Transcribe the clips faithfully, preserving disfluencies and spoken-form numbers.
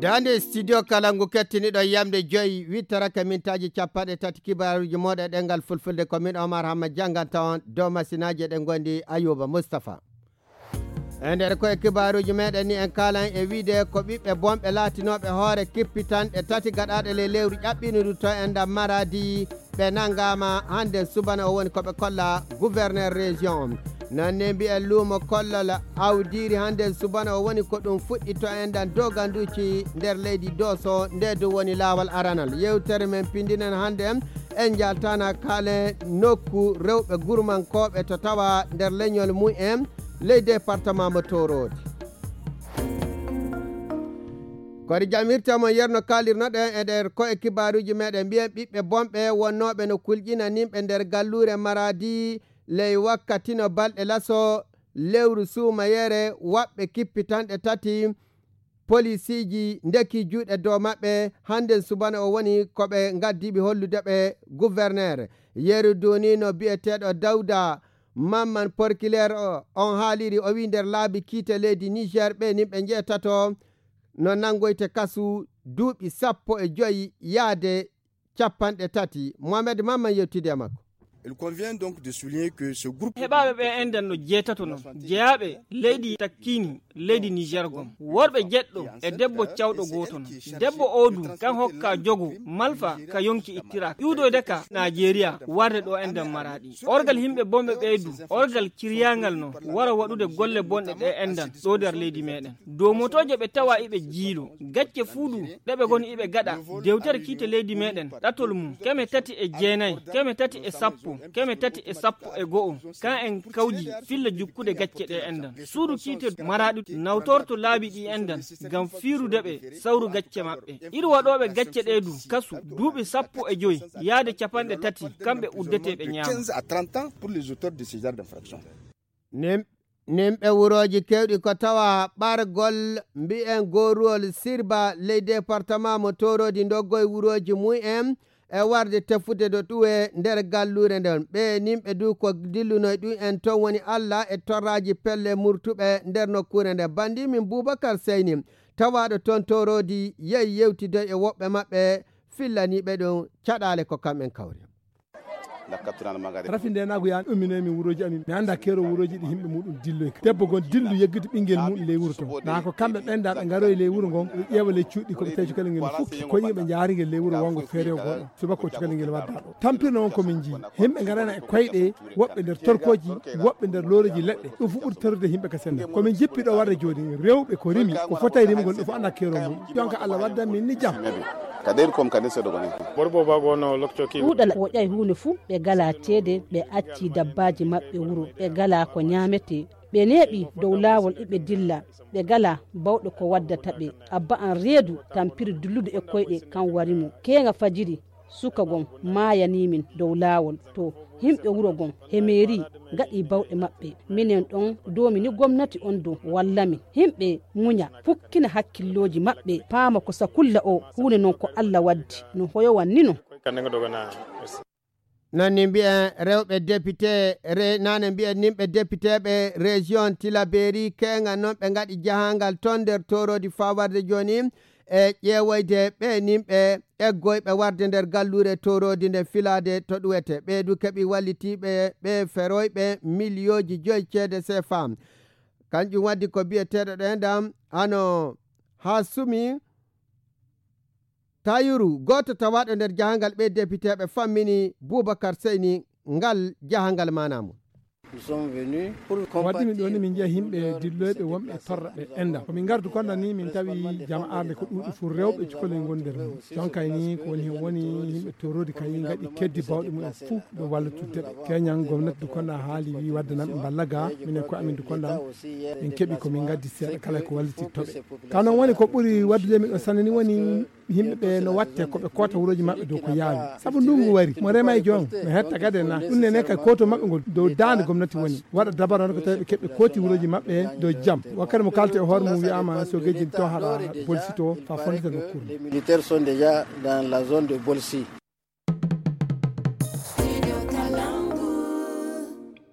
Hannde studio kala ngu kettiniɗo yamde joyi, wittarake mintaaji capanɗe tati kibaaruuji mooɗon e ɗemngal fulfulde. Ko min Omar Hamma jannganta on dow masinaaji, eɗen ngondi Ayuba Mustafa. E nder ko e kibaaruuji meɗen ni, en kaalan e wiide ko ɓiɓɓe bonɓe laatinooɓe hoore kippitanɗe tati gaɗaaɗe ley lewru ƴaɓɓiindu to enɗan Maradi, ɓe nanngaama hannden subana o woni ko ɓe kolla gouverneur région on. Noon ne mbiyen luumo kollol awdiiri hannden subana o woni ko ɗum fuɗɗi to enɗan Doganduuci nder leydi Dooso, nde du woni laawol aranol. Yewtere men pinndinen hannden en njaltana kaale nokku rewɓe gurmankooɓe to tawa nder leñol mum en ley département mo Toroodi. Kori jam hirta mo yerno kaalirnoɗen e nder ko e kibaaruuji meɗen mbiyen ɓiɓɓe bonɓe wonnooɓe no kulƴina nimɓe nder galluure Maradi ley wakkati no balɗe laso lewru suumayere waɓɓe kippitanɗe tati polisiiji ndeki juuɗe dow maɓɓe. Hannden subana o woni ko ɓe ngaddiiɓe hollude ɓe gouverneur. Yeru duunino biyeteeɗo Dawda Mamman Porkileer o, on haaliri o wi nder laabi kiite leydi Niger ɓe nimɓe njeetato no nanngoyte kasu duuɓi sappo e joyi yaade capanɗe tati. Mohamed Mamman yewtidi e makko. Il convient donc de souligner que ce groupe heɓaaɓe ɓe enɗan no jeetato non jeyaaɓe leydi takkini leydi Niger gom, worɓe jeɗɗo e debbo cawɗo gooto non. Debbo o du kan hokka jogo malfa ka yonki ittira iwdoyde ka Najeriya warde ɗo enɗan Maradi. Orgal yimɓe bonɓe ɓeydu orgal kiryaangal no wara waɗude golle bonɗe ɗe enɗan ɗo nder leydi meɗen. Dow motooje ɓe tawa iɓe jiilo gacce fuu du ɗe ɓe goni iɓe gaɗa dewtere kiite leydi meɗen ɗatol mum keme tati e jeenayi, keme tati e sappo, keme tati e sappo e go'o. Kan en kawji filla jukkude gacce ɗe enɗan. Suudu kiite Maraɗi nawtorto laabi ɗi enɗan ngam fiirude ɓe sawru gacce maɓɓe. Iri waɗooɓe gacce ɗe du kasu duuɓi sappo e joyi yaade capanɗe tati kamɓe uddete ɓe ñaama. Quinze à trente ans pour les auteurs de ce genre d'infraction. Nim-, nimɓe wurooji keewɗi ko tawa ɓargol mbiyen gooruwol Sirba ley département mo Toroodi ndoggoy wurooji mum en e warde tefude ɗo ɗuwe nder galluure nden. Ɓe nimɓe du ko dillunoy ɗum en toon woni Alla e torraaji pelle murtuɓe nder nokkuure nden. Banndi min Bubakar Seyni tawaaɗo toon Toroodi yehi yewtidoy e woɓɓe maɓɓe fillaniiɓe ɗum caɗaale ko kamɓen kawri. Rafi nde naagu yaan umminoy min wurooji amin. Mi annda keero wurooji ɗi yimɓe muɗum dilloy ka. Debbo gon dillu yeggude ɓinngel muɗum ley wuro toon. Na ko kamɓe ɓen da ɓe ngaroy ley wuro ngon, ɓe ƴeewa ley cuuɗi ko ɓe tawi cukalel ngel fof. Ko yimɓe njaari ngel ley wuro wongo feere o goɗo. Subaka o cukalel ngel wadda ɗo. Tampirno won ko min njii. Yimɓe ngarana e koyɗe, woɓɓe nder torkooji, woɓɓe nder looreeji leɗɗe. Ɗum fof ɓuri torrude yimɓe ka sennda. Ko min jippi ɗo warde jooni, rewɓe ko rimi, ko fotay rimugol ɗum fof annda keero mum. Jonka Allah waddan min ni jam. Ka ɗeeri kom ka nder seeɗa goni. Borbo bago no lokcoki. Ɗuuɗal woƴay huunde fuu, ɓe galaa ceede, ɓe acci dabbaaji maɓɓe wuro, ɓe galaa ko ñaametee. Ɓe neeɓi dow laawol iɓe dilla, ɓe galaa bawɗo ko waddata ɓe. Abba an reedu tampiri dillude e koyɗe kan wari mo. Keeŋa fajiri, suka gon maayanii min dow laawol. To himɓe wuro gon he meeri ngaɗi bawɗe maɓɓe. Minen ɗon doomini gomnati on dow walla min. Himɓe muña, pukkina hakkillooji maɓɓe, paama ko sakulla o huunde non ko Alla waddi, no hoyowan ni non. Noon ni mbiyen rewɓe député, re-, nane mbiyen nimɓe députéɓe région Tilaberi, keeŋa noon ɓe ngaɗi jahangal toon nder Toroodi faa warde jooni e ƴeewoyde ɓe nimɓe eggoyɓe warde nder galluure Toroodi nde filaade to ɗuwete. Ɓee du keɓi wallitiiɓe ɓe feroyɓe miliyooji joyi ceede C F A. Kanjum waddi ko biyeteeɗo ɗo enɗam hano Hasumi Tayuru, gooto tawaaɗo nder jahangal ɓe depiteeɓe fammini Bubakar Seyni ngal jahangal maanaa mum. Waddi min ɗo ni min njiya yimɓe dilloyɓe wonɓe torra ɓe enɗam. Ko min ngardu konda ni min tawi jama'aare ko ɗuuɗi fuu rewɓe cukalel ngoni nder mum. Jonkay ni ko woni hen woni yimɓe Toroodi kay ngaɗi keddi bawɗe mumen fuu ɗo wallitudde ɓe. Keñan gomnati du konda haali wi wadde nan ɓe mballa ga minen ko amin du konda min keɓi ko min ngaddi seeɗa kala ko walliti toɓe. Ka non woni ko ɓuri waddude min ɗo sanne ni woni yimɓe ɓe no watte ko ɓe koota wurooji maɓɓe dow ko yaawi. Sabu ndungu wari, mo rema e joom, no hetta gade na. Ɗum nene kay kooto maɓɓe ngol dow daande gomnati woni. Waɗa dabara on ko tawi ɓe keɓɓe kooti wurooji maɓɓe dow jam. Wakkati mo kalte e hoore mum wi'ama so gejin to haɗa Bolsi to fa fondita nokkuure. Les militaires sont déjà dans la zone de Bolsi.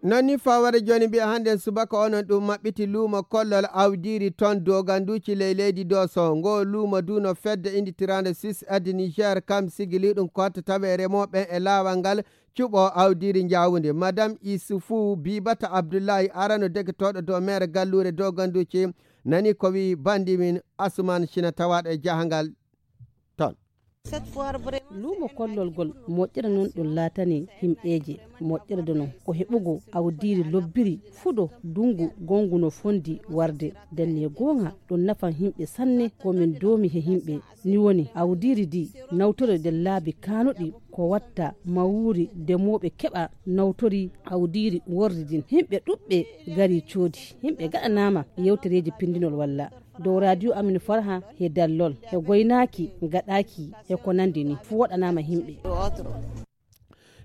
Non ni faware joni mbiya hannden subaka onon ɗum maɓɓiti luumo kollol awdiiri ton doganduuci ley leydi Dooso. Ngo luumo du no fedde inditiraande Swiss Aide Niger kam sigili ɗum ko hatta tawe remooɓe e laawal ngal cuɓo awdiiri njaawundi. Madame Isufu Bibata Abdullahi arano deketooɗo dow meere galluure doganduuci nani ko wi bandi min Asuman Sina tawaaɗo e jahangal ton. Luumo kollol gol moƴƴere non ɗum laatani himɓeeje moƴƴere de non ko heɓugo awdiiri lobbiri fuɗo dungu gongu no fondi warde denne goonga ɗum nafan himɓe sanne ko min doomi he himɓe ni woni awdiiri di nawtore de laabi kaanuɗi ko watta mawuuri demooɓe keɓa nawtori awdiiri wordi din himɓe ɗuɓɓe gari coodi himɓe gaɗanaama yewtereeji pindinol walla dow radio amin farha he dallol he goynaaki gaɗaaki e ko nandi ni fu waɗanaama himɓe.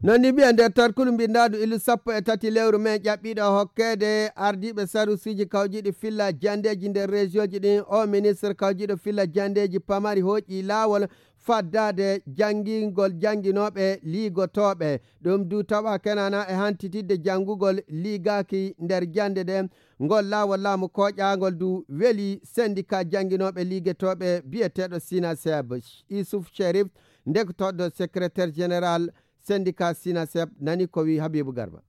Non ni mbiya nder tarkulu mbindaandu illu sappo e tati lewru men ƴaɓɓiiɗo hokkeede ardiiɓe sarusiiji kawjiiɗi filla jandeeji nder région ji ɗin o ministre kawjiiɗo filla jandeeji pamari hooƴi laawol faddaade janngingol jannginooɓe liigotooɓe. Ɗum du tawa kenana e hantitidde janngugol liigaaki nder jannde ɗe. Ngol laawol laamu kooƴaangol du weli sendika jannginooɓe liigetooɓe biyeteeɗo Sinaseb. Isuf Sherif, ndekotooɗo secrétaire général sendika Sinaseb, nani ko wi Habibu Garba.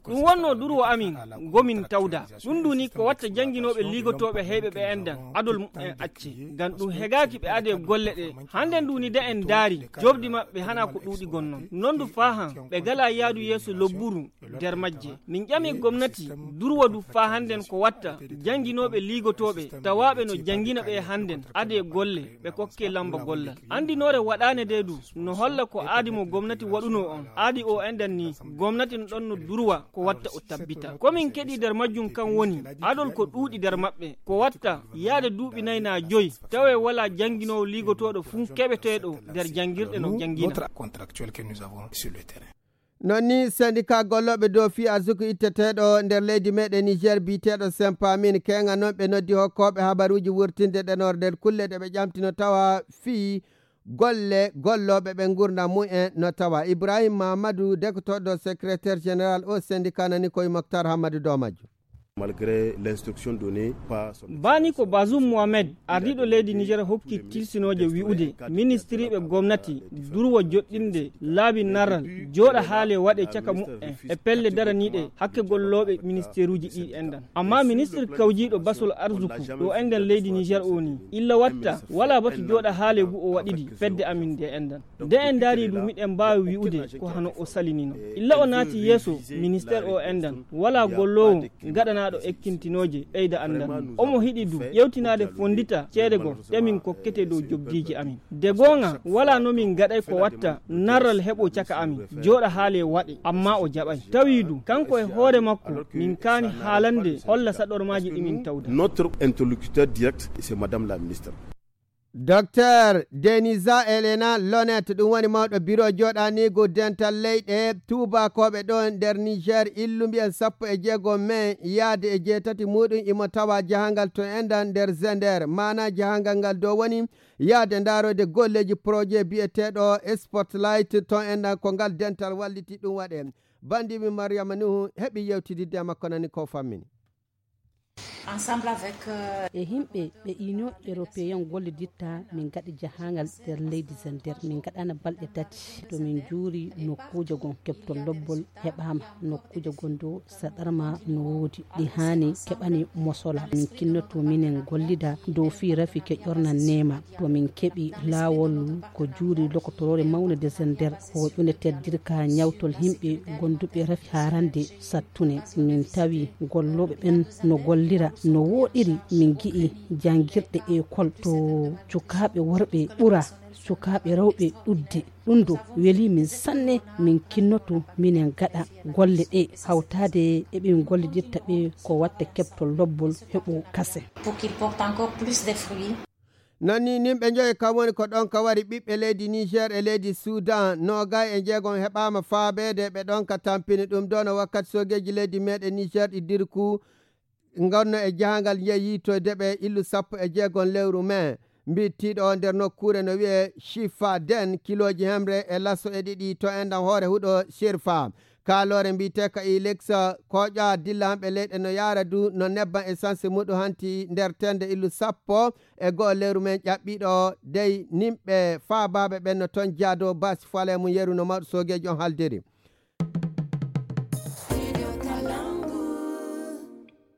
Ɗum wonno durwo amin ngomin tawda ɗum nduni ko watta jannginooɓe liigotooɓe heyɓe ɓe endan adol mumen acce ngam ɗum hegaaki ɓe ade golle ɗe. Hannde nduni de en ndaari jobdi maɓɓe hana ko ɗuuɗi gonnon non ndu faahan ɓe gala yaadu yeeso lobburu nder majje. Min ƴami gomnati durwo du faa hannden ko watta jannginooɓe liigotooɓe tawaaɓe no janngina ɓe hannden ade golle ɓe kokke lamba gollal. Anndinoore waɗaane de du no holla ko aadi mo gomnati waɗunoo on aadi o endan ni gomnati no ɗon no durwa ko watta o tabbita ko min keɗi nder majjum kan woni adol ko ɗuuɗi nder maɓɓe ko watta yaade duuɓi nay na joyi tawe wala jannginoowo liigotooɗo fuu keɓeteeɗo nder janngirɗe no janngina. Non ni sendika gollooɓe dow fii arsuku itteteeɗo nder leydi meɗen Niger biyeteeɗo Sempamin keŋa non ɓe noddi hokkooɓe habaruuji wurtinde ɗenor nder kulle ɗe ɓe ƴamtino tawa fii golle gollooɓe ɓe ngurdam mumen no tawa. Ibrahim Mahamadou dekotooɗo secrétaire général o sendika nani koye Moctar Hammadou Domadio. Baani ko Bazoum Mohamed ardiiɗo leydi Niger hokki tilsinooje wi'ude ministiriiɓe gomnati durwo joɗɗinde laabi narral jooɗa haale waɗe caka mumen e pelle daraniiɗe hakke gollooɓe ministeeruuji ɗiɗi enɗan. Ammaa ministir kawjiiɗo basol arsuku ɗo enɗan leydi Niger o ni illa watta walaa batu jooɗa haale ngu o waɗidi fedde amin nde enɗan. Nde en ndaari ɗum miɗen mbaawi wi'ude ko hano o salinino. Illa o naati yeeso ministeer o enɗan walaa golloowo gaɗanaaɗo ekkintinooje ɓeyda anndal mum. Omo hiɗi du ƴewtinaade fonndita ceede goo ɗe min kokkete dow jobdiiji amin. De goonga walaa no min gaɗay ko watta narral heɓo caka amin jooɗa haale waɗe ammaa o jaɓay. Tawi du kanko e hoore makko min kaani haalande holla saɗormaaji ɗi min tawda. Notre interlocuteur direct c'est madame la ministre. Docteur Denisa Elena Lonet ɗum woni mawɗo biro joɗanigu dental leyɗe tuubakoɓe ɗo nder Niger illu mbiyen sappo e jeego mai yaade e jeetati muɗum imo tawa jahangal to enɗan nder Zender mana jahangal ngal dow woni yaade ndaroyde golleji projet biyeteɗo Spotlight to enɗan ko ngal dental walliti ɗum waɗe. Bandimi Mariama Nuhu heɓi yewtididde e makko nani ko fammini. E himɓe ɓe Union Européen golliditta min gaɗi jahangal nder leydi Zender min gaɗana balɗe tati to min juuri nokkuuje gon kebtol lobbol heɓama nokkuuje gon do saɗarma no woodi ɗi hani keɓani mosola min kinnoto minen gollida dow fii rafi keƴornan nema to min keɓi laawol ko juuri lokotorore mawne de Zender hoƴunde teddirka ñawtol himɓe gonduɓe rafi harande sattune min tawi gollooɓe ɓen no gollira no wooɗiri min gi'i janngirɗe ekol to cukaaɓe worɓe ɓura cukaaɓe rewɓe ɗudde. Ɗum do weli min sanne min kinnoto minen gaɗa golle ɗe hawtaade e ɓe min gollidirta ɓe ko watta keɓtol lobbol heɓo kase. Non ni nimɓe njoye kam woni ko ɗon ka wari ɓiɓɓe leydi Niger e leydi Sudan noogay e njeegom heɓaama faabeede ɓe ɗon ka tampini ɗum ɗon wakkati soogeeji leydi meɗen Niger ɗi dirku ngonno e jahangal njeyi yiitoyde ɓe illu sappo e jeegom lewru mai. Mbittiiɗo o nder nokkuure no wiyee Shifa Den, kilooji hemre e lasso e ɗiɗi to enɗam hoore huɗo Shirfa. Kaaloore mbiyetee ka Ilex, koƴa dilla hamɓe leyɗe no yaara du no nebban essence muɗum hanti nder tende illu sappo e go'o lewru men ƴaɓɓiiɗo dey nimɓe faabaaɓe ɓen no ton jaado basi fale mum yeru no mawɗo soogeeji on haldiri.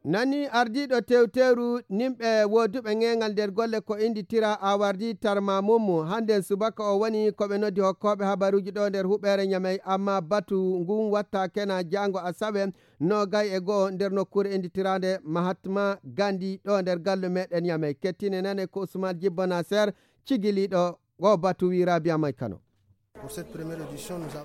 Nani ardiiɗo tewteeru nimɓe wooduɓe ŋeeŋal nder golle ko innditira awardi tarma mummu. Hannden subaka o woni ko ɓe noddi hokkooɓe habaruuji ɗo nder huɓeere Ñamey, amma batu ngun watta kena jaango asawe noogay e go'o nder nokkuure innditiraande Mahatma Gandhi ɗo nder gallu meɗen Ñamey. Kettine nane ko Usman Jibbo Naser cigiliiɗo o batu wi Rabia May Kano.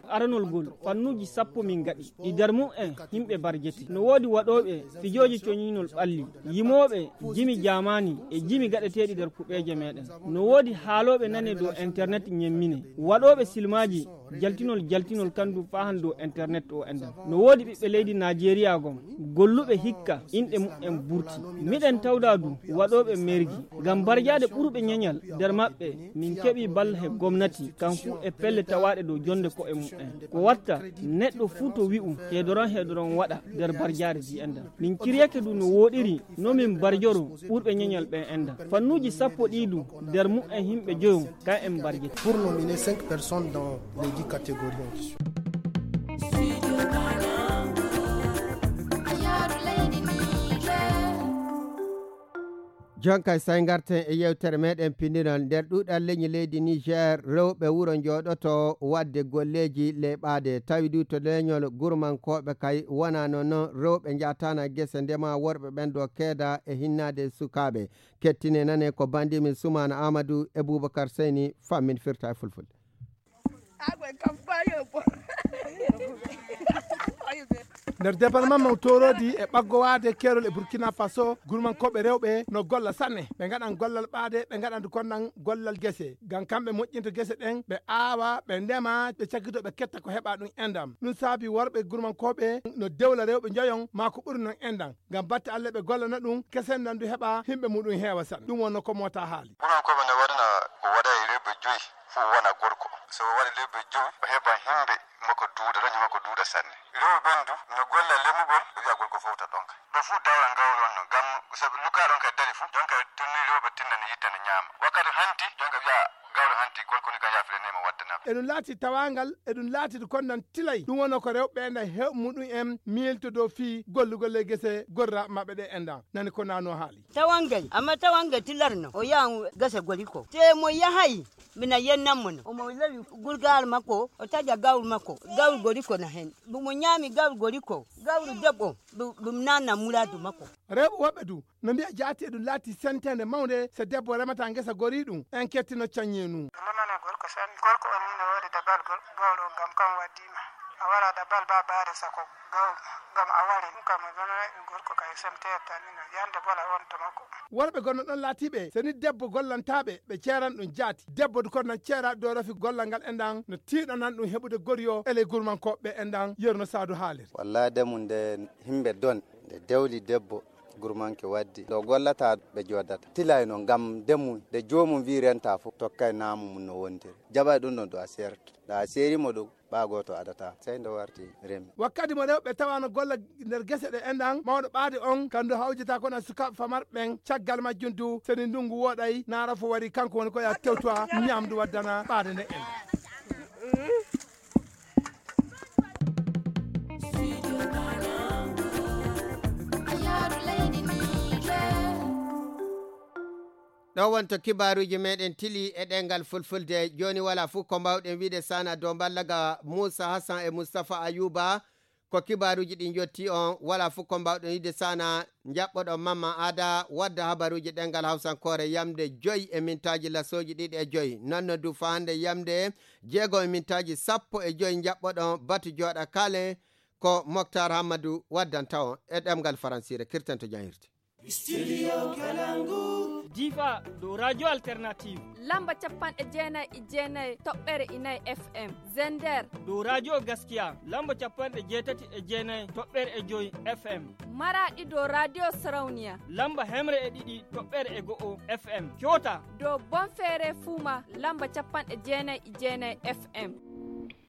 Aranol gol fannuuji sappo min ngaɗi ɗi nder mum en yimɓe barjete. No woodi waɗooɓe fijooji coñinol ɓalli, yimooɓe jimi jaamaani e jimi gaɗeteeɗi nder kuɓeeje meɗen. No woodi haalooɓe nane dow internet ñemmine, waɗooɓe silmaaji jaltinol jaltinol kandu faahan dow internet o enɗam. No woodi ɓiɓɓe leydi Najeriya gom golluɓe hikka inɗe mumen burti. Miɗen tawda du waɗooɓe mergi ngam barjaade ɓurɓe ñeñal nder maɓɓe. Min keɓi balla he gomnati kan fuu e pelle tawaaɗe dow jonde ko'e mumen. Ko watta neɗɗo fuu to wi'u heedoron heedoron waɗa nder barjaare ji enɗam. Min ciryake du no wooɗiri no min barjoro ɓurɓe ñeñal ɓen enɗam. Fannuuji sappo ɗii du nder mumen yimɓe joyo kan en barjete. Pour nominer cinq personnes dans les dix catégories en question. Jonkay say ngarten e yewtere meɗen pinndinol. Nder ɗuuɗal leñi leydi Niger, rewɓe wuro njooɗoto waɗde golleeji leeɓaade. Tawi du to leñol gurmankooɓe kay wonaa noon, noon rewɓe njaataana gese ndema worɓe ɓen ɗo keeda e hinnaade sukaaɓe. Kettine nane ko bandimin Sumaana Amadou e Boubacar Seyni fammin firta e fulfulde. Nder département mo Torodi e ɓaggowaade keerol e Burkina Faso, gurmankooɓe rewɓe no golla sanne. Ɓe ngaɗan gollal ɓaade, ɓe ngaɗan konnan gollal gese. Ngam kamɓe moƴƴinta gese ɗen, ɓe aawa, ɓe ndema, ɓe cakkito, ɓe ketta ko heɓa ɗum endam. Ɗum saabi worɓe gurmankooɓe no dewla rewɓe njoyon maa ko ɓuri non endam. Ngam batte Alla ɓe gollana ɗum, kesendan du heɓa, himɓe muɗum heewa sanne. Ɗum wonno ko mota haali. Gurmankooɓe no waɗana ko waɗa e rewɓe joyi. Fof wona gorko. So o waɗi lebbi jowi, o heɓan himɓe makko duuɗa, leñol makko duuɗa sanne. Rewɓe ɓen du no golla lemugol, o wi'a gorko fowta ɗonka. Ɗo fof dawra gawri on no, ngam so ɓe lukka ɗonka e dari fof, jonka tinni rewɓe tinna ne yitta ne ñaama. Wakkati hanti, jonka wi'a gawri hanti, gorko ni kam yaafire nema waddana. Eɗum laati tawangal, eɗum laati konnan tilay, ɗum wonno ko rewɓe ɓen heɓ muɗum en miilto dow fii gollugol e gese gorra maɓɓe ɗe enɗan. Nani ko nano haali. Tawangel, amma tawangel tilarno, o yahan gasa goriko. Te mo yahay, mina yennan mo no. Omo lawi gurgal makko, o taƴa gawri makko, gawri goriko na hen. Mo ñaami gawri goriko, gawri debbo, ɗum nanna muradu makko. Rewɓe woɓɓe du, no mbiya jaati e ɗum laati sentende mawnde, so debbo remata ngesa gori ɗum, en kettino caññe nu. Lamana gorko sanne, gorko on ni no woodi dabal gol, gawɗo ngam kam waddima. A wara dabal ba baare sako. Gawɗo, ngam a wari, ɗum kam mi gonanay ɗum gorko kay, semteer tan ni no, yande bola wonto makko. Worɓe gonno ɗon laatiiɓe, so ni debbo gollantaaɓe, ɓe ceeran ɗum jaati. Debbo du kono nan ceera dow rafi gollal ngal enɗan, no tiiɗanan ɗum heɓude goriyo e ley gurmankooɓe ɓe enɗan, yerno saadu haaliri. Wallaahi de mum nde himɓe don, nde dewli debbo, gurmanke waddi, ɗo gollata ɓe joodata. Tilay no ngam de mum, nde joomum wi renta fof, tokkay naamu mum no wontiri. Jaɓay ɗum ɗon ɗo a seerta. Ɗo a seeri mo ɗum, ɓaa gooto adata, sey nde warti remi. Wakkati mo rewɓe tawa no golla nder gese ɗe enɗan, mawɗo ɓaade on, kandu hawjata kono sukaaɓe famarɓe ɓen, caggal majjum du, seni ndungu wooɗay, naara fo wari, kanko woni ko ya tewtowa, ñamdu waddana ɓaade nde enɗan. Ɗo wonto kibaaruuji meɗen tili e ɗengal fulfulde. Jooni wala fof ko mbawɗen wiide sana dow mballaga Moussa Hassan e Moustapha Ayouba. Ko kibaaruuji ɗi jotti on, wala fof ko mbawɗen wiide sana jaɓɓoɗon Mamma Ada wadda habaruuji ɗengal hawsankoore yamde joyi e mintaaji lasooji ɗiɗi e joyi. Nonno du fa hannde yamde jeego e mintaaji sappo e joyi jaɓɓoɗon batu jooɗa kale ko Moktar Hammadu waddanta on e ɗemngal faransiire. Kirten to janhirde. Studio Kalangu. Difa dow Radio Alternative. Lamba capanɗe jeenayi e jeenayi toɓɓere inayi F M. Zender. Dow Radio Gaskiya, lamba capanɗe jeetati e jeenayi toɓɓere e joyi F M. Maraɗi dow Radio Sarauniya. Lamba hemre e ɗiɗi toɓɓere e go'o F M. Kyota. Dow Bonfere Fuma, lamba capanɗe jeenayi e jeenayi F M.